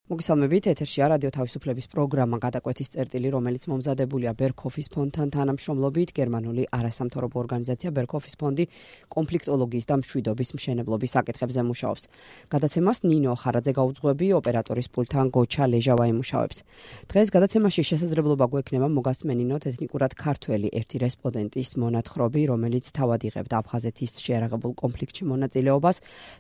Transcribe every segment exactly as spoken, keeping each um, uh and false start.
მოგესალმებით, ეთერშია რადიო თავისუფლების პროგრამა გადაკვეთის წერტილი, რომელიც მომზადებულია ბერქოფის ფონდთან თანამშრომლობით. გერმანული არასამთავრობო ორგანიზაცია ბერქოფის ფონდი კონფლიქტოლოგიის და მშვიდობის მშენებლობის საკითხებზე მუშაობს. გადაცემას ნინო ხარაძე გაუძღვები, ოპერატორის პულტთან გოჩა ლეჟავა იმუშავებს. დღეს გადაცემაში შესაძლებლობა გვექნება მოგასმენინოთ ეთნიკურად ქართველი ერთი რესპონდენტის მონათხრობი, რომელიც თავად იღებდა აფხაზეთის შეიარაღებულ კონფლიქტში მონაწილეობას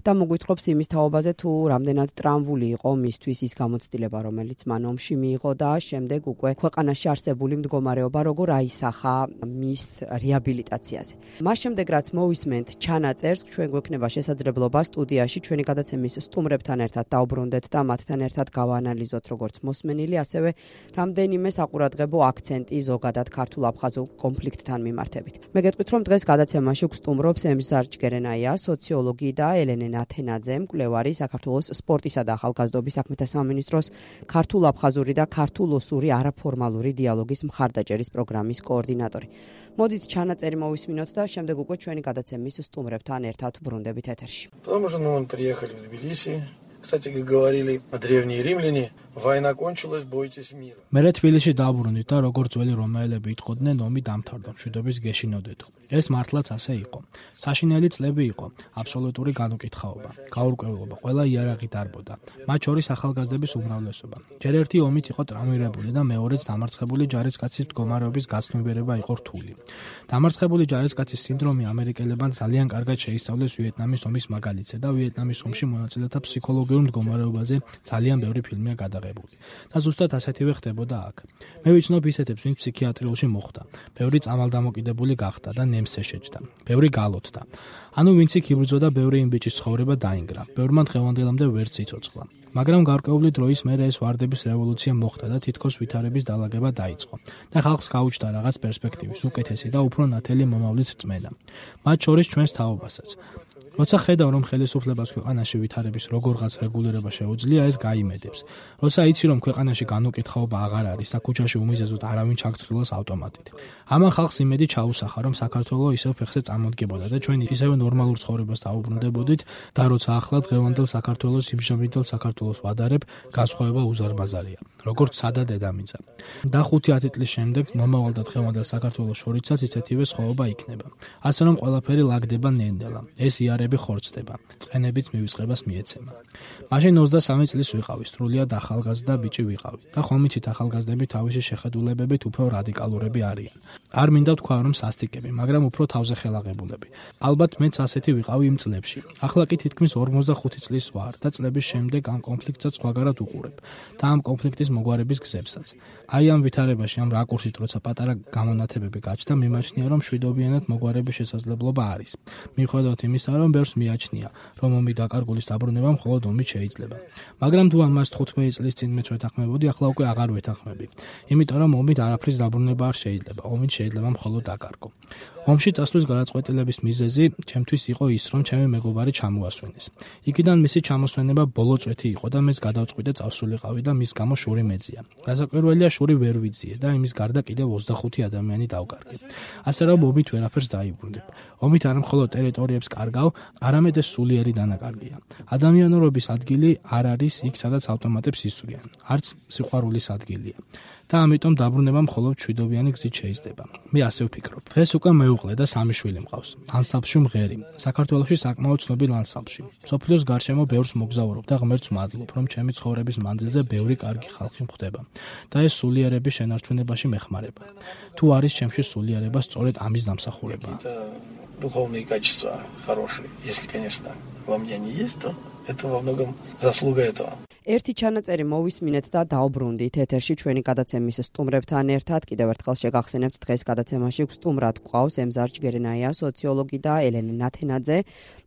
და მოგვითხრობს იმის თაობაზე, თუ რამდენად ტრამვული იყო მისთვის ის გამოცდილება, რომელიც მან ომში მიიღო და შემდეგ უკვე ქვეყანაში არსებული მდგომარეობა როგორ აისახა მის რეაბილიტაციაზე. მას შემდეგ რაც მოვისმენთ ჩანაწერს, ჩვენ გვექნება შესაძლებლობა სტუდიაში ჩვენი გადაცემის სტუმრებთან ერთად დავბრუნდეთ და მათთან ერთად გავაანალიზოთ როგორც მოსმენილი, ასევე რამდენიმე საყურადღებო აქცენტი ზოგადად ქართულ-აფხაზურ კონფლიქტთან მიმართებით. მე გეტყვით, რომ დღეს გადაცემაში გვსტუმრობს ემზარ ჯგერენაია, სოციოლოგი და ელენე ნათენაძე, მკვლევარი, საქართველოს სპორტისა და ახალგაზრდობის საქმეთა სამინისტროს ქართულ-აფხაზური და ქართულ-ოსური არაფორმალური დიალოგის მხარდაჭერის პროგრამის კოორდინატორი. მოდით ჩანაწერი მოვისმინოთ და შემდეგ უკვე ჩვენი გადაცემის სტუმრებთან ერთად ბრუნდებით ეთერში. Потому что мы приехали в Тбилиси. Кстати, как говорили древние римляне, война кончилась, бойтесь мира. მე თბილისში დაბრუნდით და როგორც ძველი რომაელები იტყოდნენ, ომი დამთავრდა, მშვიდობის გეშინოდეთ. ეს მართლაც ასე იყო. საშინელი წლები იყო, აბსოლუტური განუკითხაობა, გაურკვევლობა, ყველა იარაღი დარბოდა. მათ შორის ახალგაზრდების უმრავლესობა. ჯერ ერთი ომით იყო ტრამვირებული და მეორეც დამარცხებული ჯარისკაცის მდგომარეობის გაცნობიერება იყო რთული. დამარცხებული ჯარისკაცის სინდრომი ამერიკელებთან ძალიან კარგად შეისწავლეს ვიეტნამის ომის მაგალითზე და ვიეტნამის ომში მონაწილეთა ფსიქოლოგიურ მდგომარეობაზე ძალიან ბევრი ფილმია გადაღებული. და ზუსტად ასეთივე ხდებოდა აქ. მე ვიცნობ ისეთებს, ვინც ფსიქიატრიულში მოხვდა. ბევრი წამალდამოკიდებული გახდა და ნემსზე შეჯდა. ბევრი გალოთდა. ანუ ვინც იქ იბრძოდა, ბევრი იმ ბიჭის ცხოვრება დაინგრა. ბევრმა დღევანდელამდე ვერც იცოცხლა. მაგრამ გარკვეული დროის მერე ეს ვარდების რევოლუცია მოხდა და თითქოს ვითარების დალაგება დაიწყო. და ხალხს გაუჩნდა რაღაც პერსპექტივის, უკეთესი და უფრო ნათელი მომავლის რწმენა. მათ შორის ჩვენს თაობასაც. როცა ხედავ, რომ ხელისუფლებას ქვეყანაში ვითარების როგორღაც რეგულირება შეუძლია, ეს გაიმედებს. როცა იცი, რომ ქვეყანაში განუკითხაობა აღარ არის და ქუჩაში უმიზეზოდ არავინ ჩაგწრილოს ავტომატით. ამან ხალხს იმედი ჩაუსახა, რომ საქართველოს ისევ ფეხზე წამოდგებოდა და ჩვენ ისევ ნორმალურ ცხოვრებას დავუბრუნდებოდით და როცა ახლა დღევანდელ საქართველოს იმჟამინდელ საქართველოს ვადარებ, განსხვავება უზარმაზარია. როგორც სადა დედამიწა. და ხუთი-ათი წლის შემდეგ მომავალ და დღევანდელ საქართველოს შორიცაც ისეთივე სხვაობა იქნება. ასე რომ ყველაფერი ლაგდება ნენდელა. ეს იარები ხორცდება. წყენებით მივიწყებას მიეცემა. მაშინ ოცდასამი წლის ვიყავი, სრულიად ახალგაზრდა ბიჭი ვიყავი და ხომიცით ახალგაზრდები თავისი შეხედულებებით უფრო რადიკალურები არიან. არ მინდა თქვა, რომ სასტიკები, მაგრამ უფრო თავზეხელაღებულები. ალბათ მეც ასეთი ვიყავი იმ წლებში. ახლა კი თითქმის ორმოცდახუთი წლის ვარ და წლების შემდეგ ამ კონფლიქტსაც სხვაგარად უყურებ და ამ კონფლიქტის მოგვარების გზებსაც. აი ამ ვითარებაში, ამ რაკურსით, როცა პატარა გამონათებები გაჩნდა, მიმაჩნია, რომ მშვიდობიანად მოგვარების შესაძლებლობა არის. მიუხედავად იმისა, რომ ბევრს მიაჩნია, რომ ომი დაკარგულის დაბრუნება მხოლოდ ომით შეიძლება. მაგრამ თუ ამას თხუთმეტი წლის წინ მეც ვეთანხმებოდი, ახლა უკვე აღარ ვეთანხმები. იმიტომ რომ ომით არაფრის დაბრუნება არ შეიძლება, ომით შეიძლება მხოლოდ დაკარგო. ომში წასვლის გადაწყვეტილების მიზეზი ჩემთვის იყო ის, რომ ჩემი მეგობარი ჩამოასვენეს. იქიდან მისი ჩამოსვენება ბოლო წვეთი იყო და მეც გადავწყვიტე წავსულიყავი და მის გამო შური მეძია. რასაკვირველია, შური ვერ ვიძიე და იმის გარდა კიდევ ოცდახუთი ადამიანი დავკარგე. ასე რომ ომით ვერაფერს დაიბრუნდებ. ომით არ მხოლოდ ტერიტორიებს კარგავ, არამედ ეს სულიერი დანაკარგია. ადამიანურობის ადგილი არ არის იქ, სადაც ავტომატებს ისვრიან. არც სიყვარულის ადგილია. და ამიტომ დაბრუნება მხოლოდ მშვიდობიანი გზით შეიძლება. მე ასე ვფიქრობ. დღეს უკვე მეუღლე და სამი შვილი მყავს. ანსამბლში მღერი. საქართველოში საკმაოდ ცნობილ ანსამბლში. სოფლიოს გარშემო ბევრს მოგზაურობ და ღმერთს მადლობ, რომ ჩემი ცხოვრების მანძილზე ბევრი კარგი ხალხი მხვდება. და ეს სულიერების შენარჩუნებაში მეხმარება. თუ არის ჩემში სულიერება, სწორედ ამის დამსახურება. Духовные качества хорошие, если, конечно, во мне они есть, то это во многом заслуга этого. ერთი ჩანაწერი მოვისმინეთ და დავბრუნდით ეთერში ჩვენი გადაცემის სტუმრებთან ერთად. კიდევ ერთხელ შეგახსენებთ, დღეს გადაცემაში სტუმრად გვყავს ემზარ ჯგერენაია, სოციოლოგი და ელენე ნათენაძე,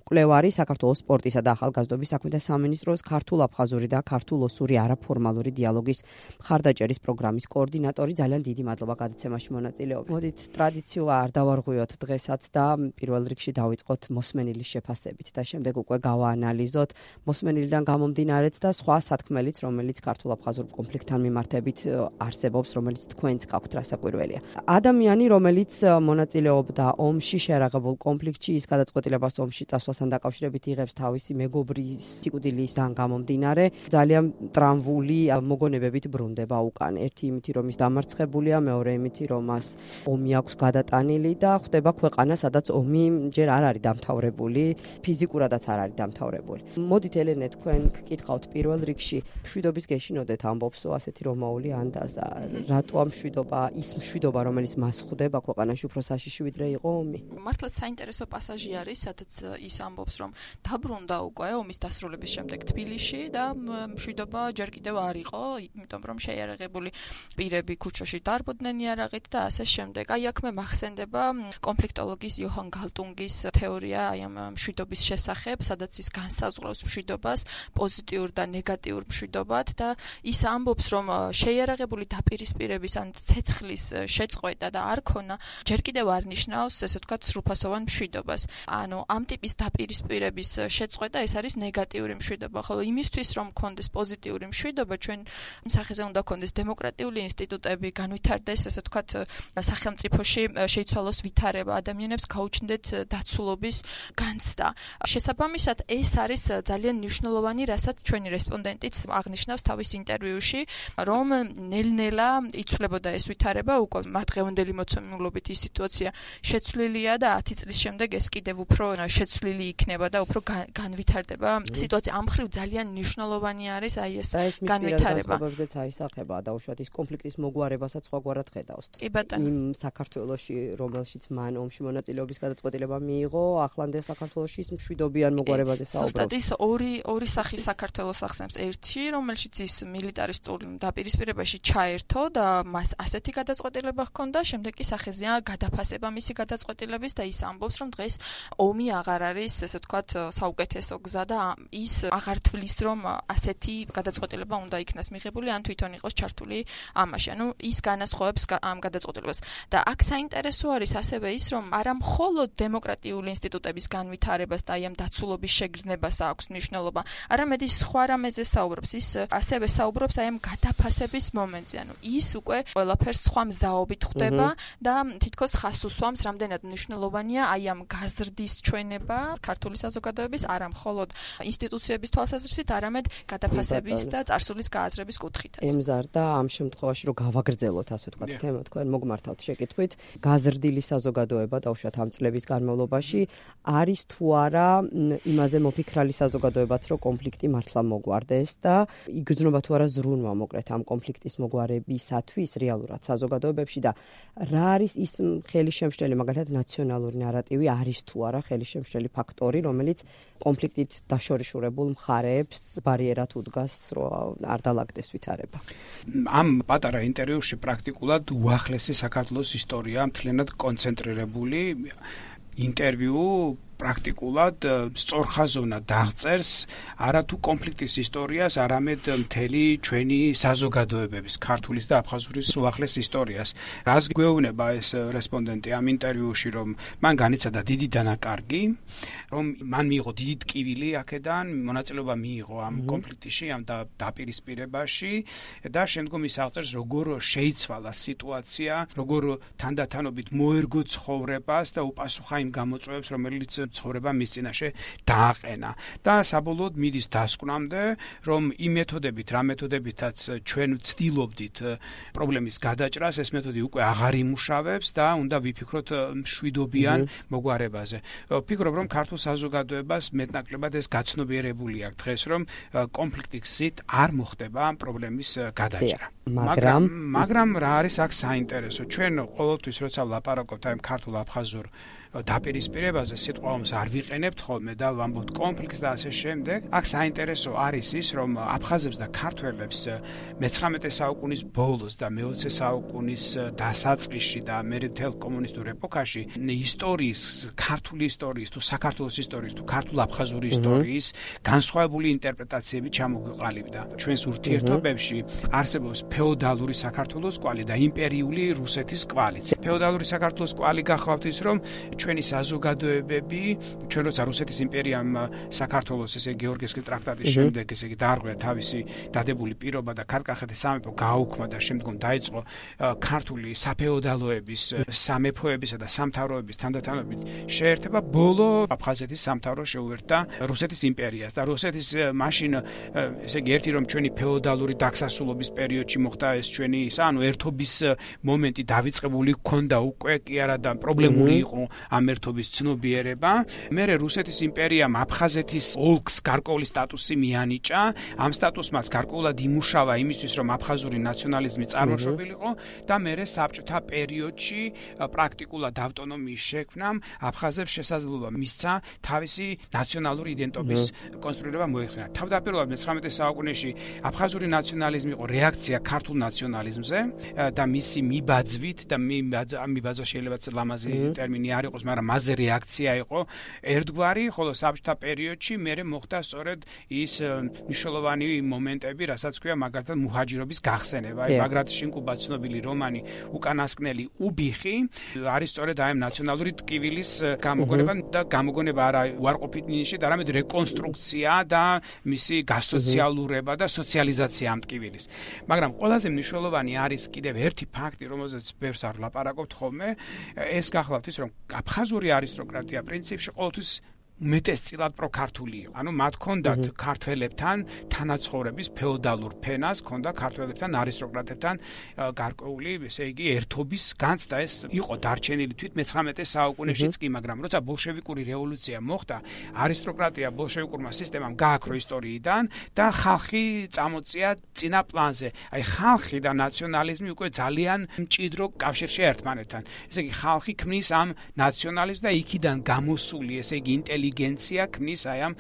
მკვლევარი, საქართველოს სპორტისა და ახალგაზრდობის საქმეთა სამინისტროს ქართულ-აფხაზური და ქართულ-ოსური არაფორმალური დიალოგის მხარდაჭერის პროგრამის კოორდინატორი. ძალიან დიდი მადლობა გადაცემაში მონაწილეობით. მოდით ტრადიციულ არ დავარღვიოთ დღესაც და პირველ რიგში დავიწყოთ მოსმენილის შეფასებით და შემდეგ უკვე გავაანალიზოთ მოსმენილიდან გამომდინარეც და სხვა სათქმელიც, რომელიც ქართულ-აფხაზურ კონფლიქტთან მიმართებით არსებობს, რომელიც თქვენც გაქვთ რასაკვირველია. ადამიანი, რომელიც მონაწილეობდა ომში, შეიარაღებულ კონფლიქტში, ის გადაწყვეტილებას ომში წასვლას მშობლობასთან დაკავშირებით იღებს თავისი მეგობრის სიკვდილისგან გამომდინარე ძალიან ტრამვული მოგონებებით ბრუნდება უკან. ერთი იმითი რომ ის დამარცხებულია, მეორე იმითი რომ მას ომი აქვს გადატანილი და ხვდება ქვეყანა, სადაც ომი ჯერ არ არის დამთავრებული, ფიზიკურადაც არ არის დამთავრებული. მოდით ელენე, თქვენ გკითხავთ პირველ რიგში, მშვიდობის გეშინოდეთ ამბობსო ასეთი რომაული ანდაზა. რატო ამ მშვიდობა, ის მშვიდობა, რომელიც მას ხვდება ქვეყანაში უფრო საშიში ვიდრე იყო ომი? მართლაც საინტერესო პასაჟი არის, სადაც ის ამბობს, რომ დაბრუნდა უკვე ომის დასრულების შემდეგ თბილისში და მშვიდობა ჯერ კიდევ არ იყო, იმიტომ რომ შეიარაღებული პირები ქუჩაში დარბოდნენ იარაღით და ასე შემდეგ. აი აქ მე მახსენდება კონფლიქტოლოგის იოჰან გალტუნგის თეორია აი ამ მშვიდობის შესახებ, სადაც ის განსაზღვრავს მშვიდობას პოზიტიურ და ნეგატიურ მშვიდობად და ის ამბობს, რომ შეიარაღებული დაპირისპირების ან ცეცხლის შეწყვეტა და არ ქონა ჯერ კიდევ არ ნიშნავს, ესე ვთქვათ, სრულფასოვან მშვიდობას. ანუ ამ ტიპის დაპირისპირების შეწყვეტა ეს არის ნეგატიური მშვიდობა, ხოლო იმისთვის რომ გქონდეს პოზიტიური მშვიდობა, ჩვენ სახეზე უნდა გქონდეს დემოკრატიული ინსტიტუტები, განვითარდეს, ესე ვთქვათ, სახელმწიფოში შეიცვალოს ვითარება, ადამიანებს გაუჩნდეთ დაცულობის განცდა. შესაბამისად, ეს არის ძალიან მნიშვნელოვანი, რასაც ჩვენი რესპონდენტიც აღნიშნავს თავის ინტერვიუში, რომ ნელ-ნელა იცვლებოდა ეს ვითარება, უკვე მათდღევანდელი მოცემულობით ის სიტუაცია შეცვლილია და ათი წლის შემდეგ ეს კიდევ უფრო შეცვლილი იქნება და უფრო განვითარდება სიტუაცია. ამ მხრივ ძალიან მნიშვნელოვანი არის აი ეს განვითარება. განწყობებზეც აისახება და უშუალოდ ის კონფლიქტის მოგვარებასაც სხვაგვარად ხედავს. იმ საქართველოში, რომელშიც მან ომში მონაწილეობის გადაწყვეტილება მიიღო, ახლანდელ საქართველოში ის მშვიდობიან მოგვარებაზე საუბრობს. ზუსტად ის ორი ორი სახის საქართველოს ახსენებს. ერთი, რომელშიც ის მილიტარისტულ დაპირისპირებაში ჩაერთო და მას ასეთი გადაწყვეტილება ჰქონდა, შემდეგ კი სახეზეა გადაფასება მისი გადაწყვეტილების და ის ამბობს, რომ დღეს ომი აღარ არის, ესე ვთქვათ, საუკეთესო გზა და ის აღარ თვლის, რომ ასეთი გადაწყვეტილება უნდა იქნას მიღებული, ან თვითონ იყოს ჩართული ამაში. ანუ ის განასხვავებს ამ გადაწყვეტილებას. და აქ საინტერესო არის ასევე ის, რომ არა მხოლოდ დემოკრატიული ინსტიტუტების განვითარებას და აი ამ დაცულობის შეგრძნებას აქვს მნიშვნელობა, არამედ ის სხვა რამეზე საუბრობს. ის ასევე საუბრობს აი ამ გადაფასების მომენტზე. ანუ ის უკვე ყველაფერს სხვა მზაობით ხვდება და თითქოს ხას უსვამს, რამდენად მნიშვნელოვანია აი ამ გაზრდის ჩვენება ქართული საზოგადოების, არა მხოლოდ ინსტიტუციების თვალსაზრისით, არამედ გადაფასების და წარსულის გააზრების კუთხითაც. ემზარდა ამ შემთხვევაში, რომ გავაგრძელოთ, ასე ვთქვათ, თემა, თქვენ მოგმართავთ შეკითხვით, გაზრდილი საზოგადოება დაუშვათ ამ წლების განმავლობაში არის თუ არა იმაზე მოფიქრალი საზოგადოებაც, რომ კონფლიქტი მართლა მოგვარდეს და იგრძნობა თუ არა ზრუნვა მოკლედ ამ კონფლიქტის მოგვარებისათვის რეალურად საზოგადოებებში და რა არის ის ხელისშემშლელი, მაგალითად ნაციონალური ნარატივი არის თუ არა ხელისშემშლელი ფაქტორი, რომელიც კონფლიქტით დაშორიშურებულ მხარეებს ბარიერად უდგას, რომ არ დალაგდეს ვითარება. ამ პატარა ინტერვიუში პრაქტიკულად უახლესი საქართველოს ისტორია მთლიანად კონცენტრირებული ინტერვიუ პრაქტიკულად სწორხაზოვნად დაღწერს არათუ კონფლიქტის ისტორიას, არამედ მთელი ჩვენი საზოგადოებების, ქართულის და აფხაზურის უახლეს ისტორიას. რას გვეუბნება ეს რესპონდენტი ამ ინტერვიუში, რომ მან განიცადა დიდი დანაკარგი, რომ მან მიიღო დიდი ტკივილი აქედან, მონაწილეობა მიიღო ამ კონფლიქტში, ამ დაპირისპირებაში და შემდგომ ის აღწერს, როგორ შეიცვალა სიტუაცია, როგორ თანდათანობით მოერგო ცხოვრებას და უპასუხა იმ გამოწვევებს, რომელიც ცხოვრება მის წინაშე დააყენა და საბოლოოდ მიდის დასკვნამდე, რომ იმ მეთოდებით, რა მეთოდებითაც ჩვენ ვცდილობდით პრობლემის გადაჭრას, ეს მეთოდი უკვე აღარ იმუშავებს და უნდა ვიფიქროთ მშვიდობიან მოგვარებაზე. ვფიქრობ, რომ ქართულ საზოგადოებას მეტნაკლებად ეს გაცნობიერებული აქვს დღეს, რომ კონფლიქტის გზით არ მოხდება პრობლემის გადაჭრა. მაგრამ მაგრამ რა არის აქ საინტერესო? ჩვენ ყოველთვის როცა ვლაპარაკობთ აი ქართულ აფხაზურ დაპირისპირებაზე, სიტყვა ომს არ ვიყენებთ ხოლმე და ვამბობთ კონფლიქტს და ასე შემდეგ. აქ საინტერესო არის ის, რომ აფხაზებს და ქართველებს მეცხრამეტე საუკუნის ბოლოს და მეოცე საუკუნის დასაწყისში და მერე მთელ კომუნისტურ ეპოქაში ისტორიის, ქართული ისტორიის თუ საქართველოს ისტორიის თუ ქართულ-აფხაზური ისტორიის განსხვავებული ინტერპრეტაციები ჩამოგვიყალიბდა. ჩვენს ურთიერთობებში არსებობს ფეოდალური საქართველოს კვალი და იმპერიული რუსეთის კვალიც. ფეოდალური საქართველოს კვალი გახლავთ ის, რომ ჩვენი საზოგადოებები ჩვენ როცა რუსეთის იმპერიამ საქართველოს ესე გეორგიევსკის ტრაქტატის შემდეგ ესე იგი დაარღვია თავისი დადებული პირობა და ქართლ-კახეთის სამეფო გააუქმა და შემდგომ დაიწყო ქართული საფეოდალოების, სამეფოებისა და სამთავროების თანდათანობით შეერთება, ბოლო აფხაზეთის სამთავრო შეუერთდა რუსეთის იმპერიას და რუსეთის მაშინ ესე იგი ერთი რომ ჩვენი ფეოდალური დაგსასულობის პერიოდში მოხდა ეს ჩვენი ისა, ანუ ერთობის მომენტი დავიწყებული ჰქონდა უკვე კი არა და პრობლემური იყო ამ ერთობის ცნობიერება. მერე რუსეთის იმპერიამ აფხაზეთის ოლქს გარკვეული სტატუსი მიანიჭა. ამ სტატუსმაც გარკვეულად იმუშავა იმისთვის, რომ აფხაზური ნაციონალიზმი წარმოშობილიყო და მერე საბჭოთა პერიოდში პრაქტიკულად ავტონომიის შექმნამ აფხაზებს შესაძლებლობა მისცა თავისი ნაციონალური იდენტობის კონსტრუირება მოეხსენა. თავდაპირველად მეცხრამეტე საუკუნეში აფხაზური ნაციონალიზმი იყო რეაქცია ქართულ ნაციონალიზმზე და მისი მიბაძვით და მიბაძვა შეიძლება ლამაზი ტერმინი არ იყოს, მაგრამ მასზე რეაქცია იყო ერთგვარი, ხოლო საბჭოთა პერიოდში მერე მოხდა სწორედ ის მნიშვნელოვანი მომენტები, რასაც ქვია მაგალითად მუჰაჯირობის გახსენება. აი მაგრად შინკუბა ცნობილი რომანი უკანასკნელი უბიხი არის სწორედ აი ნაციონალური ტკივილის გამოგონება და გამოგონება არა უარყოფით ნიშნით, არამედ რეკონსტრუქცია და მისი გასოციალურება და სოციალიზაცია ამ ტკივილის. მაგრამ ყველაზე მნიშვნელოვანი არის კიდევ ერთი ფაქტი, რომელზეც ბევრს არ ვლაპარაკობთ ხოლმე, ეს გახლავთ ის, რომ აფხაზური არისტოკრატია პრინციპში ყოველთვის მეტესწილად პროქართული იყო. ანუ მათ ჰქონდათ ქართველებთან თანაცხოვრების ფეოდალურ ფენას, ჰქონდა ქართველებთან არისტოკრატებთან გარკვეული, ესე იგი, ერთობის განცდა. ეს იყო დარჩენილი თვით მეცხრამეტე საუკუნეშიც კი, მაგრამ როცა ბოლშევიკური რევოლუცია მოხდა, არისტოკრატია ბოლშევიკურმა სისტემამ გააქრო ისტორიიდან და ხალხი წამოწია წინა პლანზე. აი ხალხი და ნაციონალიზმი უკვე ძალიან მჭიდრო კავშირშია ერთმანეთთან. ესე იგი, ხალხი ქმნის ამ ნაციონალიზმს და იქიდან გამოსული, ესე იგი, ინტელიგენცია ინტელიგენცია ქმნის აი ამ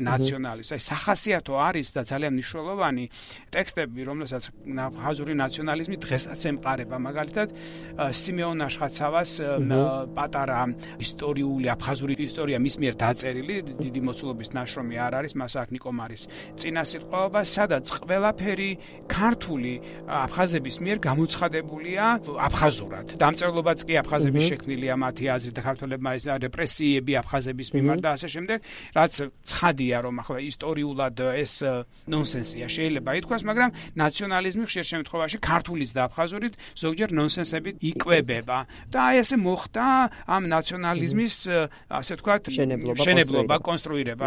ნაციონალიზმს. აი სახასიათო არის და ძალიან მნიშვნელოვანი ტექსტები, რომელსაც აფხაზური ნაციონალიზმი დღესაც ემყარება. მაგალითად, სიმეონ აშხაცავას პატარა ისტორიული აფხაზური ისტორია მის მიერ დაწერილი, დიდი მოცულობის ნაშრომი არ არის, მას აქ ნიკომარის წინასიტყვაობა, სადაც ყველაფერი ქართული აფხაზების მიერ გამოცხადებულია აფხაზურად. დამწერლობაც კი აფხაზების შექმნილია მათი აზრით და ქართველებმა ეს რეპრესიები აფხაზების მიმართ და ასე შემდეგ, რაც ცხადია, რომ ახლა ისტორიულად ეს ნონსენსია შეიძლება ითქვას, მაგრამ ნაციონალიზმი ხშირ შემთხვევაში ქართულიც და აფხაზურით ზოგჯერ ნონსენსებით იკვებება. და აი ესე მოხდა ამ ნაციონალიზმის, ასე ვთქვათ, შენებლობა, კონსტრუირება.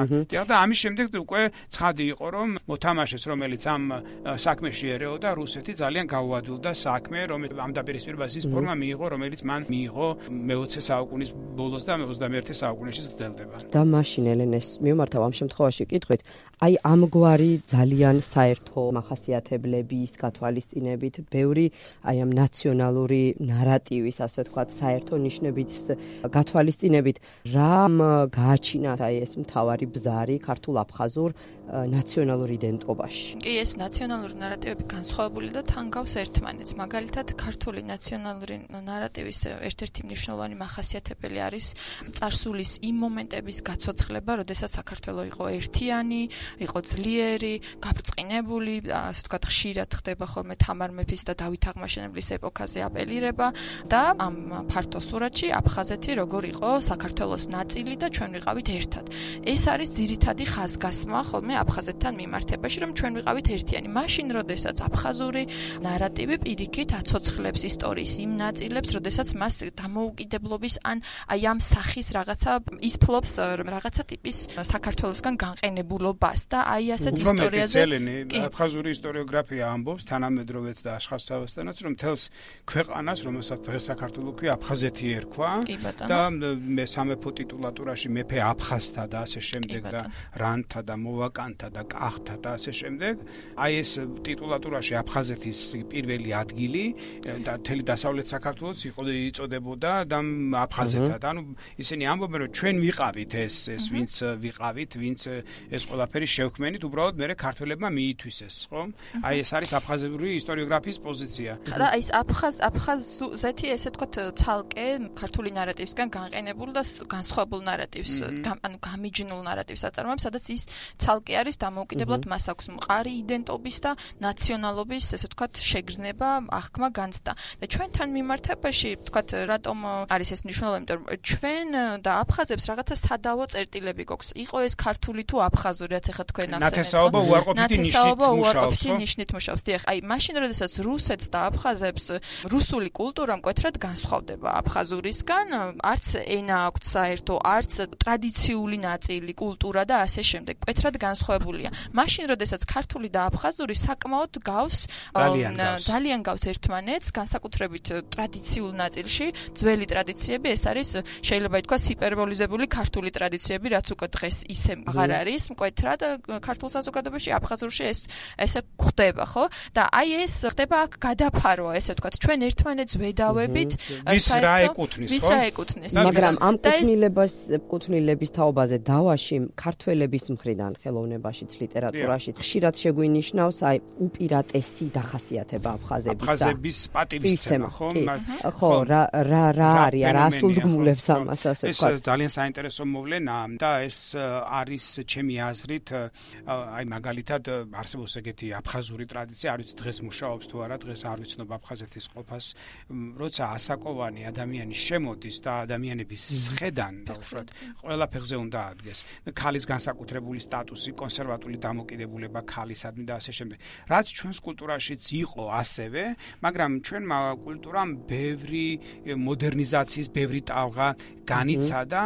და ამის შემდეგ უკვე ცხადი იყო, რომ მოთამაშეს, რომელიც ამ საქმეში ერეოდა, რუსეთი ძალიან გაუადვილდა საქმე, რომ ამ დაპირისპირებას ის ფორმა მიიღო, რომელიც მან მიიღო მეოცე საუკუნის ბოლოს და ოცდამეერთე საუკუნეში გრძელდება. და მაშინ ელენეს მიმართავ ამ შემთხვევაში კითხვით, აი ამგვარი ძალიან საერთო მახასიათებლების გათვალისწინებით, ბევრი აი ამ ნაციონალური ნარატივის, ასე ვთქვათ, საერთო ნიშნების გათვალისწინებით, რამ გააჩინათ აი ეს მთავარი ბზარი ქართულ-აფხაზურ ნაციონალურ იდენტობაში? კი, ეს ნაციონალური ნარატივები განსხვავებული და თან გავს ერთმანეთს. მაგალითად, ქართული ნაციონალური ნარატივის ერთ-ერთი მნიშვნელოვანი მახასიათებელი არის წარსულის იმ მომენტების გაცოცხლება, როდესაც საქართველო იყო ერთიანი, იყო ძლიერი, გაბრწყინებული, ასე ვთქვათ, ხშირად ხდება ხოლმე თამარ მეფის და დავით აღმაშენებლის ეპოქაზე აპელირება და ამ ფართო სურათში აფხაზეთი როგორ იყო საქართველოს ნაწილი და ჩვენ ვიყავით ერთად. ეს არის ძირითადი ხაზგასმა ხოლმე აფხაზეთთან მიმართებაში, რომ ჩვენ ვიყავით ერთიანი. მაშინ, როდესაც აფხაზური ნარატივი პირიქით აცოცხლებს ისტორიის იმ ნაწილებს, როდესაც მას დამოუკიდებლობის ან აი ამ სახის რაღაცა ის ფლობს რაღაცა ტიპის საქართველოსგან განყენებულობას და აი ასეთ ისტორიაზე აფხაზური ისტორიოგრაფია ამბობს თანამედროვეც და აშხასთავასთანაც, რომ მთელს ქვეყანას, რომელსაც დღეს საქართველოს ქვია, აფხაზეთი ერქვა და მე სამეფო ტიტულატურაში მეფე აფხაზთა და ასე შემდეგ და რანთა და მოვაკანთა და კახთა და ასე შემდეგ. აი ეს ტიტულატურაში აფხაზეთის პირველი ადგილი და მთელი დასავლეთ საქართველოს იყო იწოდებოდა და აფხაზეთად. ანუ ისინი ამბობენ, რომ ჩვენ ვიყავით ეს ეს ვინც ვიყავით, ვინც ეს ყველაფერი შევქმენით, უბრალოდ მე ქართველებმა მიითვისეს, ხო? აი ეს არის აფხაზური ისტორიოგრაფიის პოზიცია. და აი ეს აფხაზ აფხაზეთი ესე თქვათ ცალკე ქართული ნარატივისგან განყენებულ და განსხვავებულ ნარატივს, ანუ გამიჯნულ ნარატივს აწარმოებს, სადაც ის ცალკე არის დამოუკიდებლად მას აქვს მყარი იდენტობის და ნაციონალობის, ესე ვთქვათ, შეგრძნება, აღქმა, განცდა. და ჩვენთან მიმართებაში, ვთქვათ, რატომ არის ეს მნიშვნელოვანი, იმიტომ რომ ჩვენ და აფხაზებს რაღაცა სადა ნათესაო წერტილები გვაქვს. იყო ეს ქართული თუ აფხაზური, რაც ახლა თქვენ ასენეთ. ნათესაობა უარყოფითი ნიშნით ნათესაობა მუშაობს. უარყოფითი ნიშნით მუშაობს. დიახ, აი მაშინ როდესაც რუსეთს და აფხაზებს რუსული კულტურა მკვეთრად განსხვავდება აფხაზურისგან, არც ენა აქვთ საერთო, არც ტრადიციული ნაწილი, კულტურა და ასე შემდეგ. მკვეთრად განსხვავებულია. მაშინ როდესაც ქართული და აფხაზური საკმაოდ გავს ძალიან გავს ერთმანეთს, განსაკუთრებით ტრადიციულ ნაწილში, ძველი ტრადიციები, ეს არის შეიძლება ითქვას ჰიპერბოლიზებული ქართული ტრადიციები, რაც უკვე დღეს ისე აღარ არის მკვეთრად ქართულ საზოგადოებაში, აფხაზურში ეს ესე ხდება, ხო? და აი ეს ხდება აქ გადაფარვა, ესე ვთქვათ, ჩვენ ერთმანეთს ვედავებით, ვის რა ეკუთვნის, ხო? ვის რა ეკუთვნის. მაგრამ ამ კუთვნილებას კუთვნილების თაობაზე დავაში ქართველების მხრიდან ხელოვნებაშიც, ლიტერატურაშიც ხშირად შეგვინიშნავს აი უპირატესი დახასიათება აფხაზებისა. აფხაზების პატივისცემა, ხო? ხო, რა რა რა არის, რა სულდგმულებს ამას, ასე ვთქვათ. ეს ძალიან საინტერესო მოვლენაა და ეს არის ჩემი აზრით, აი მაგალითად არსებობს ეგეთი აფხაზური ტრადიცია, არ ვიცი დღეს მუშაობს თუ არა, დღეს არ ვიცნობ აფხაზეთის ყოფას, როცა ასაკოვანი ადამიანი შემოდის და ადამიანების სხედან დაუშვათ, ყველა ფეხზე უნდა ადგეს. ქალის განსაკუთრებული სტატუსი, კონსერვატული დამოკიდებულება ქალისადმი და ასე შემდეგ. რაც ჩვენს კულტურაშიც იყო ასევე, მაგრამ ჩვენმა კულტურამ ბევრი მოდერნიზაციის, ბევრი ტალღა განიცადა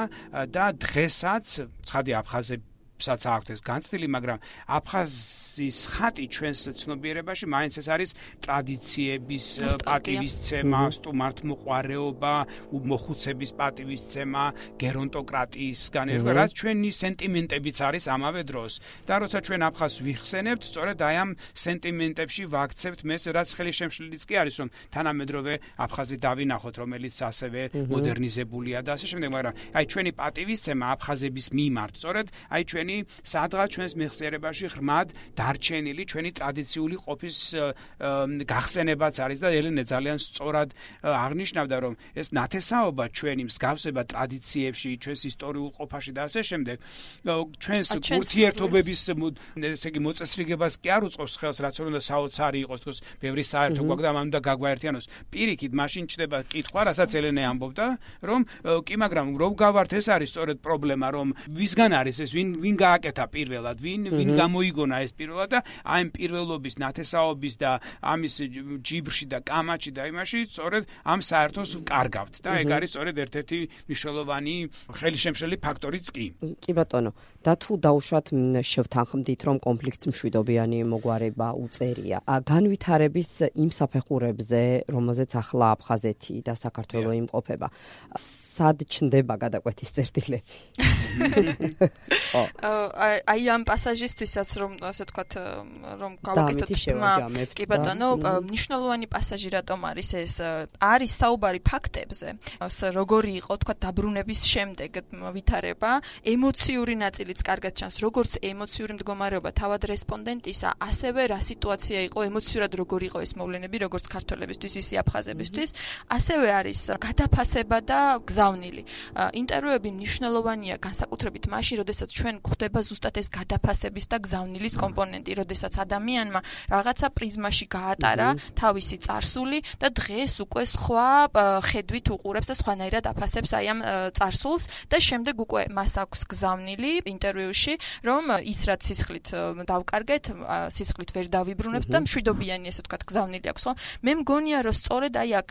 და დღესაც ცხადი აფხაზები საც აქვს ეს განცდილი, მაგრამ აფხაზის ხატი ჩვენს ცნობიერებაში მაინც ეს არის ტრადიციების პატივისცემა, სტუმართმოყვარეობა, მოხუცების პატივისცემა, გერონტოკრატიისგან ერგვა, რაც ჩვენი სენტიმენტებიც არის ამავე დროს. და როცა ჩვენ აფხაზს ვიხსენებთ, სწორედ აი ამ სენტიმენტებში ვაქცევთ მეს, რაც ხელი შემშლილიც კი არის, რომ თანამედროვე აფხაზი დავინახოთ, რომელიც ასევე მოდერნიზებულია და ასე შემდეგ, მაგრამ აი ჩვენი პატივისცემა აფხაზების მიმართ, სწორედ აი ჩვენ სადღაც ჩვენს მეხსიერებაში ღრმად დარჩენილი ჩვენი ტრადიციული ყოფის გახსენებაც არის და ელენე ძალიან სწორად აღნიშნავდა, რომ ეს ნათესაობა ჩვენი მსგავსება ტრადიციებში, ჩვენს ისტორიულ ყოფაში და ასე შემდეგ, ჩვენს ურთიერთობების ესე იგი მოწესრიგებას კი არ უწყობს ხელს, რაც უნდა საოცარი იყოს, თქოს, ბევრი საერთო გვაქვს და ამ უნდა გაგვაერთიანოს. პირიქით, მაშინ ჩდება კითხვა, რასაც ელენე ამბობდა, რომ კი, მაგრამ რომ გავართ, ეს არის სწორედ პრობლემა, რომ ვისგან არის ეს, ვინ ვინ გააკეთა პირველად, ვინ ვინ გამოიგონა ეს პირველად და აი ამ პირველობის ნათესაობის და ამის ჯიბრში და კამაჩი და იმაში სწორედ ამ საერთოს ვკარგავთ და ეგ არის სწორედ ერთ-ერთი მნიშვნელოვანი ხელშემშლელი ფაქტორიც კი. კი ბატონო, და თუ დაუშვათ შევთანხმდით, რომ კონფლიქტს მშვიდობიანი მოგვარება უწერია. განვითარების იმ საფეხურებზე, რომელზეც ახლა აფხაზეთი და საქართველო იმყოფება, სად ჩნდება გადაკვეთის წერტილები? აი ამ პასაჟისთვისაც რომ ასე ვთქვათ, რომ გავაკეთოთ თემა, კი ბატონო, მნიშვნელოვანი პასაჟი რატომ არის ეს? არის საუბარი ფაქტებზე, როგორი იყო თქვათ დაბრუნების შემდეგ ვითარება, ემოციური ნაწილიც კარგად ჩანს, როგორც ემოციური მდგომარეობა თავად რესპონდენტისა, ასევე რა სიტუაცია იყო ემოციურად, როგორი იყო ეს მოვლენები, როგორც ქართველებისთვის, ისე აფხაზებისთვის, ასევე არის გადაფასება და გზავნილი. ინტერვიუები მნიშვნელოვანია განსაკუთრებით მაშინ, როდესაც ჩვენ გვხვდება ზუსტად ეს გადაფასების და გზავნილის კომპონენტი, როდესაც ადამიანმა რაღაცა პრიზმაში გაატარა თავისი წარსული და დღეს უკვე სხვა ხედვით უყურებს და სხვანაირად აფასებს აი ამ წარსულს და შემდეგ უკვე მას აქვს გზავნილი ინტერვიუში, რომ ის რაც სისხლით დავკარგეთ, სისხლით ვერ დავიბრუნებთ და მშვიდობიანი ესე ვთქვათ გზავნილი აქვს, ხო? მე მგონია, რომ სწორედ აი აქ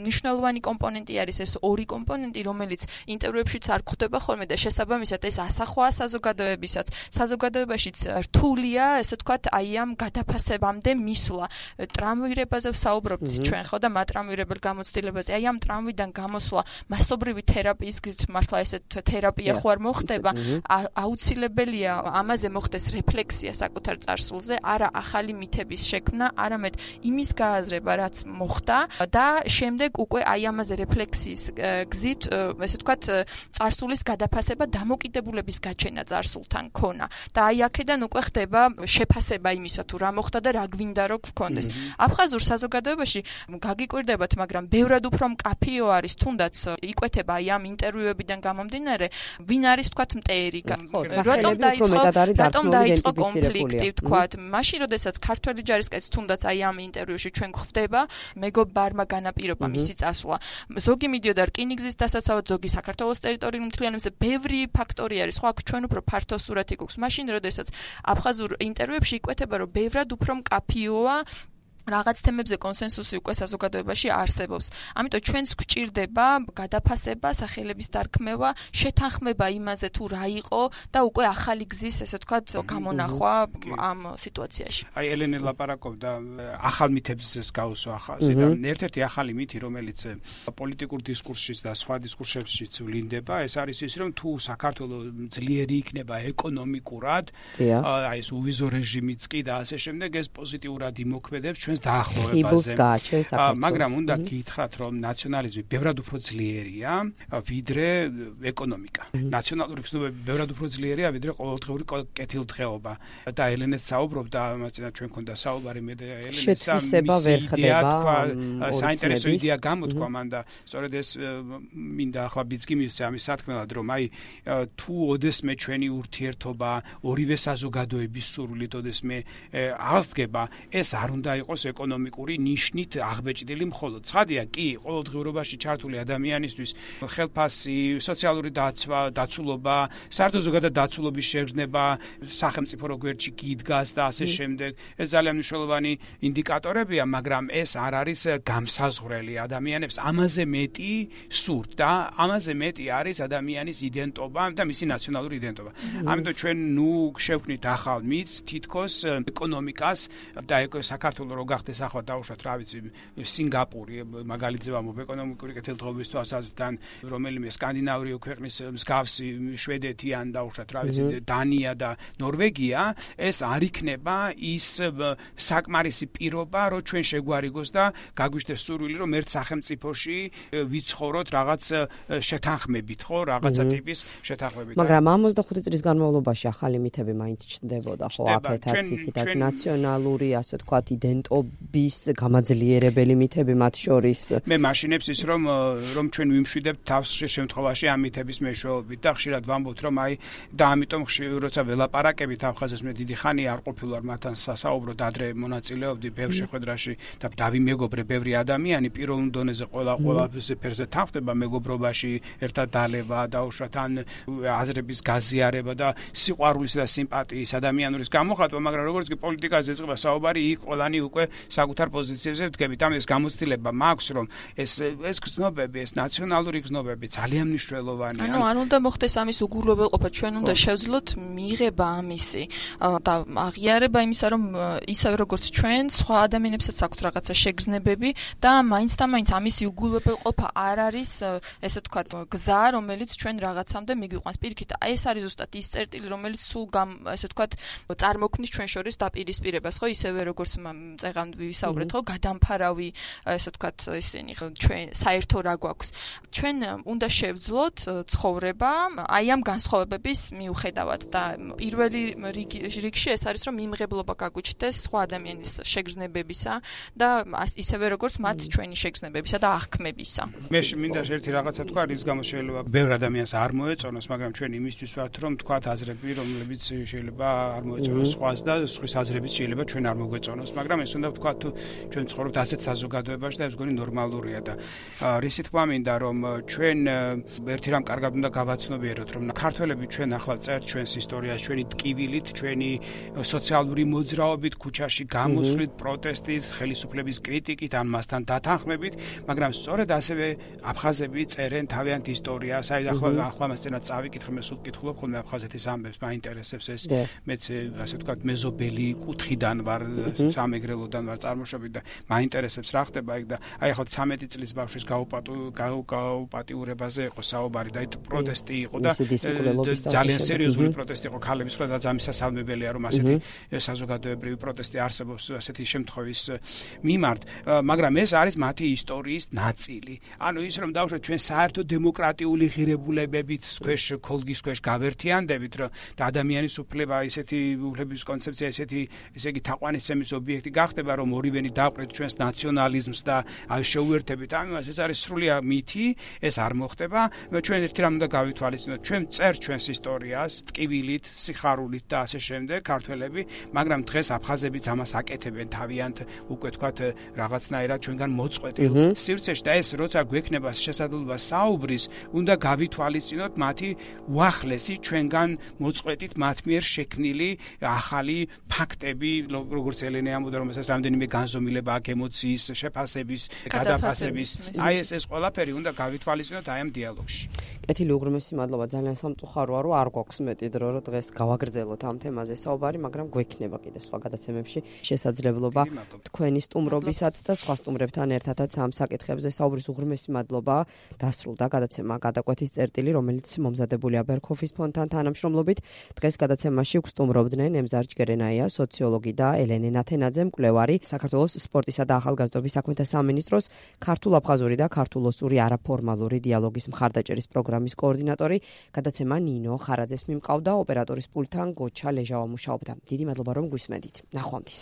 მნიშვნელოვანი კომპონენტი არის ეს ორი კომპონენტი, რომელიც ინტერვიუებშიც არ გვხვდება ხოლმე და შესაბამისად ეს ასახვაა საზოგადოებისაც. საზოგადოებაშიც რთულია, ესე ვთქვათ, აი ამ გადაფასებამდე მისვლა. ტრამვირებაზე ვსაუბრობთ ჩვენ, ხო, და მატრამვირებელ გამოცდილებაზე. აი ამ ტრამვიდან გამოსვლა მასობრივი თერაპიის გზით, მართლა ესე თერაპია ხო არ მოხდება, აუცილებელია ამაზე მოხდეს რეფლექსია საკუთარ წარსულზე, არა ახალი მითების შექმნა, არამედ იმის გააზრება, რაც მოხდა და შემდეგ უკვე აი ამაზე რეფლექსიის გზით, ესე ვთქვათ, წარსულის გადაფასება, დამოკიდებულების გაჩენაც წარსულთან ქონა და აი აქედან უკვე ხდება შეფასება იმისა თუ რა მოხდა და რა გვინდა რომ გქონდეს. აფხაზურ საზოგადოებაში გაგიკვირდებათ, მაგრამ ბევრად უფრო მკაფიო არის თუნდაც იკვეთება აი ამ ინტერვიუებიდან გამომდინარე, ვინ არის თქვათ მტერი, რატომ დაიწყო რატომ დაიწყო კონფლიქტი თქვათ. მაშინ როდესაც ქართველი ჯარისკაცი თუნდაც აი ამ ინტერვიუში ჩვენ გვხვდება, მეგობარმა განაპირობა მისი წასვლა. ზოგი მიდიოდა რკინიგზის დასაცავად, ზოგი საქართველოს ტერიტორიულ მთლიანობაზე, ბევრი ფაქტორი არის, ხო აქ ჩვენ უფრო ფართო სურათი გვაქვს. მაშინ როდესაც აფხაზურ ინტერვიუებში იკვეთება, რომ ბევრად უფრო მკაფიოა რაღაც თემებზე კონსენსუსი უკვე საზოგადოებაში არსებობს. ამიტომ ჩვენს გვჭირდება გადაფასება, სახელების დარქმევა, შეთანხმება იმაზე თუ რა იყო და უკვე ახალი გზის, ესე ვთქვათ, გამონახვა ამ სიტუაციაში. აი ელენე ლაპარაკობდა ახალ მითებს გაუსვა ახალზე და ერთ-ერთი ახალი მითი, რომელიც პოლიტიკურ დისკურსში და სხვა დისკურსებშიც ვლინდება, ეს არის ის, რომ თუ საქართველოს ძლიერი იქნება ეკონომიკურად, აი ეს უვიზო რეჟიმიც კი და ასე შემდეგ, ეს პოზიტიურად იმოქმედებს ჩვენს დაახლოებაზე. მაგრამ უნდა გითხრათ, რომ ნაციონალიზმი ბევრად უფრო ძლიერია, ვიდრე ეკონომიკა. ნაციონალური გზნობები ბევრად უფრო ძლიერია, ვიდრე ყოველდღიური კეთილდღეობა. და ელენეც საუბრობდა, ამაზე ჩვენ ქონდა საუბარი მე და ელენეც და მისი იდეა თქვა, საინტერესო იდეა გამოთქვა მან და სწორედ ეს მინდა ახლა ბიძგი მისცე ამის სათქმელად, რომ აი თუ ოდესმე ჩვენი ურთიერთობა ორივე საზოგადოების სურვილით ოდესმე აღსდგება, ეს არ უნდა იყოს ეკონომიკური ნიშნით აღბეჭდილი მხოლოდ. ცხადია, კი, ყოველდღიურობაში ჩართული ადამიანისთვის ხელფასი, სოციალური დაცვა, დაცულობა, საერთო ზოგადად დაცულობის შეგრძნება, სახელმწიფო გვერდში გიდგას და ასე შემდეგ. ეს ძალიან მნიშვნელოვანი ინდიკატორებია, მაგრამ ეს არ არის გამსაზღვრელი ადამიანებს. ამაზე მეტი სურთ და ამაზე მეტი არის ადამიანის იდენტობა და მისი ნაციონალური იდენტობა. ამიტომ ჩვენ ნუ შევქმნით ახალ მითს, თითქოს ეკონომიკას და საქართველოს რო გახდეს ახლა დაუშვათ, რა ვიცი, სინგაპური მაგალითზე ვამბობ ეკონომიკური კეთილდღეობის თვალსაზრისით, რომელიმე სკანდინავიური ქვეყნის მსგავსი, შვედეთი ან დაუშვათ, რა ვიცი, დანია და ნორვეგია, ეს არ იქნება ის საკმარისი პირობა, რომ ჩვენ შეგვარიგოს და გაგვიშდეს სურვილი, რომ ერთ სახელმწიფოში ვიცხოვროთ რაღაც შეთანხმებით, ხო, რაღაცა ტიპის შეთანხმებით. მაგრამ ორმოცდახუთი წლის განმავლობაში ახალი მითები მაინც ჩნდებოდა, ხო, აქეთაც იქითაც ნაციონალური, ასე ვთქვათ, იდენტობის გამაძლიერებელი მითები მათ შორის. მე მაშინებს ის რომ რომ ჩვენ ვიმშვიდებთ თავს შემთხვევაში ამ მითების მეშვეობით და ხშირად ვამბობთ, რომ აი და ამიტომ როცა ველაპარაკებით აფხაზებს, მე დიდი ხანი არ ყოფილვარ მათთან სასაუბროდ, ადრე მონაწილეობდი ბევრ შეხვედრაში და დავიმეგობრე ბევრი ადამიანი პიროვნულ დონეზე ყველა ყველაფერზე ფერზე თანხდება მეგობრობაში, ერთად დალევა, დაუშვათ ან აზრების გაზიარება და სიყვარულის და სიმპათიის ადამიანურის გამოხატვა, მაგრამ როგორც კი პოლიტიკაზე ეწყება საუბარი, იქ ყველანი უკვე საკუთარ პოზიციებზე ვდგებით. ამის გამოცდილება მაქვს, რომ ეს ეს გზნობები, ეს ნაციონალური გზნობები ძალიან მნიშვნელოვანია. ანუ არ უნდა მოხდეს ამის უგულებელყოფა, ჩვენ უნდა შევძლოთ მიღება ამისი და აღიარება იმისა, რომ ისევე როგორც ჩვენ, სხვა ადამიანებსაც აქვთ რაღაცა შეგრძნებები და მაინც და მაინც ამისი უგულებელყოფა არ არის, ესე ვთქვათ, გზა, რომელიც ჩვენ რაღაცამდე მიგვიყვანს. პირიქით, აი ეს არის ზუსტად ის წერტილი, რომელიც სულ ესე ვთქვათ, წარმოქმნის ჩვენ შორის დაპირისპირებას, ხო, ისევე როგორც წეღან ვისაუბრეთ, ხო, გადამფარავი, ესე ვთქვათ, ისინი ჩვენ საერთო რა გვაქვს. ჩვენ უნდა შევძლოთ ცხოვრება აი ამ განსხვავებების მიუხედავად და პირველი რიგში ეს არის, რომ მიმღებლობა გაგვიჩნდეს სხვა ადამიანის შეგრძნებებისა და ისევე როგორც მათ ჩვენი შეგრძნებებისა და აღქმებისა. მე მინდა ერთი რაღაცა თქვა, რის გამო შეიძლება ბევრ ადამიანს არ მოეწონოს, მაგრამ ჩვენ იმისთვის ვართ, რომ თქვათ აზრები, რომლებიც შეიძლება არ მოეწონოს სხვას და სხვის აზრებიც შეიძლება ჩვენ არ მოგვეწონოს, მაგრამ ეს უნდა ვთქვათ, თუ ჩვენ ცხოვრობთ ასეთ საზოგადოებაში და ეს გონი ნორმალურია და რისი თქმა მინდა, რომ ჩვენ ერთი რამ კარგად უნდა გავაცნობიეროთ, რომ ქართველები ჩვენ ახლა წერთ ჩვენს ისტორიას, ჩვენი ტკივილით, ჩვენი სოციალური მოძრაობით, ქუჩაში გამოსვლით, პროტესტით, ხელისუფლების კრიტიკით, ან მასთან დათანხმებით, მაგრამ სწორედ ასევე აფხაზები წერენ თავიანთ ისტორიას. აი ახლა ახლა მასწინათ წავიკითხე, მე სულ ვკითხულობ ხოლმე აფხაზეთის ამბებს, მაინტერესებს ეს, მეც ასე ვთქვათ, მეზობელი კუთხიდან ვარ, სამეგრელოდან კულტურიდან ვარ წარმოშობით და მაინტერესებს რა ხდება იქ და აი ახლა ცამეტი წლის ბავშვის გაუპატიურებაზე იყო საუბარი და այդ პროტესტი იყო და ძალიან სერიოზული პროტესტი იყო ქალების მხრიდან და ძალიან სასალმებელია რომ ასეთი საზოგადოებრივი პროტესტი არსებობს ასეთი შემთხვევის მიმართ, მაგრამ ეს არის მათი ისტორიის ნაწილი. ანუ ის რომ დავუშვათ ჩვენ საერთო დემოკრატიული ღირებულებებით ქვეშ ქოლგის ქვეშ გავერთიანდებით რომ და ადამიანის უფლება ისეთი უფლების კონცეფცია ისეთი ესე იგი თაყვანისცემის ობიექტი გახდება რომ ორივენი დაყრეთ ჩვენს ნაციონალიზმს და აი შეუერთებით ამას ეს არის სრულიად მითი ეს არ მოხდება ჩვენ ერთი რამ უნდა გავითვალისწინოთ ჩვენ წერ ჩვენს ისტორიას ტკივილით სიხარულით და ასე შემდეგ ქართველები მაგრამ დღეს აფხაზებიც ამას აკეთებენ თავიანთ უკვე თქვათ რაღაცნაირად ჩვენგან მოწყვეტილ სივრცეში და ეს როცა გვექნება შესაძლებლობა საუბრის უნდა გავითვალისწინოთ მათი უახლესი ჩვენგან მოწყვეტით მათ მიერ შექმნილი ახალი ფაქტები როგორც ელენე ამბობდა რომ ეს რამდენიმე განზომილება აქ ემოციის შეფასების გადაფასების აი ეს ეს ყველაფერი უნდა გავითვალისწინოთ აი ამ დიალოგში. კეთილი უღრმესი მადლობა ძალიან სამწუხაროა რომ არ გვაქვს მეტი დრო რომ დღეს გავაგრძელოთ ამ თემაზე საუბარი მაგრამ გვექნება კიდე სხვა გადაცემებში შესაძლებლობა თქვენი სტუმრობისაც და სხვა სტუმრებთან ერთადაც ამ საკითხებზე საუბრის უღრმესი მადლობა დასრულდა გადაცემა გადაკვეთის წერტილი რომელიც მომზადებულია ბერქოფის ფონდთან თანამშრომლობით დღეს გადაცემაში გვსტუმრობდნენ ემზარ ჯგერენაია სოციოლოგი და ელენე ნათენაძე მკვლევარი საქართველოს სპორტისა და ახალგაზრდობის საქმეთა სამინისტროს ქართულ-აფხაზური და ქართულ-ოსური არაფორმალური დიალოგის მხარდაჭერის პროგრამის კოორდინატორი გადაცემა ნინო ხარაძეს მიმყავდა ოპერატორის პულტთან გოჩა ლეჟავა მუშაობდა. დიდი მადლობა რომ გვისმენთ. ნახვამდის.